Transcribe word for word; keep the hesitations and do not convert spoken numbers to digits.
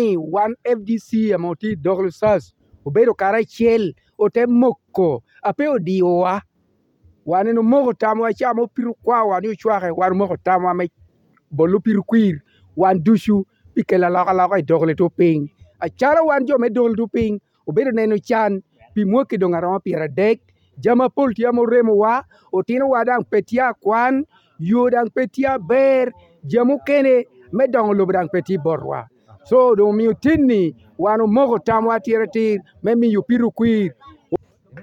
ni wan F D C ame otye i dog Lusas obedo karacel, ote moko, a pe odiowa. Wan en omoko tamwa ca ame opito kwawa ni ocwake, wan omoko tamwa me bolo piro kwir, wan ducu, pi kelo alokaloka i dog lito piny. Acalo wan jo me dog lito piny, obedo neno can pi mwaki doŋ aromo pyeradek, jami apol tye ame oremowa, otinowa daŋ pe tye akwan, yo daŋ pe tye aber, jami okene me doŋo lobo daŋ pe tye botwa. So, doŋ omio tin-ni wan omoko tamwa atiratir me miyo pito kwir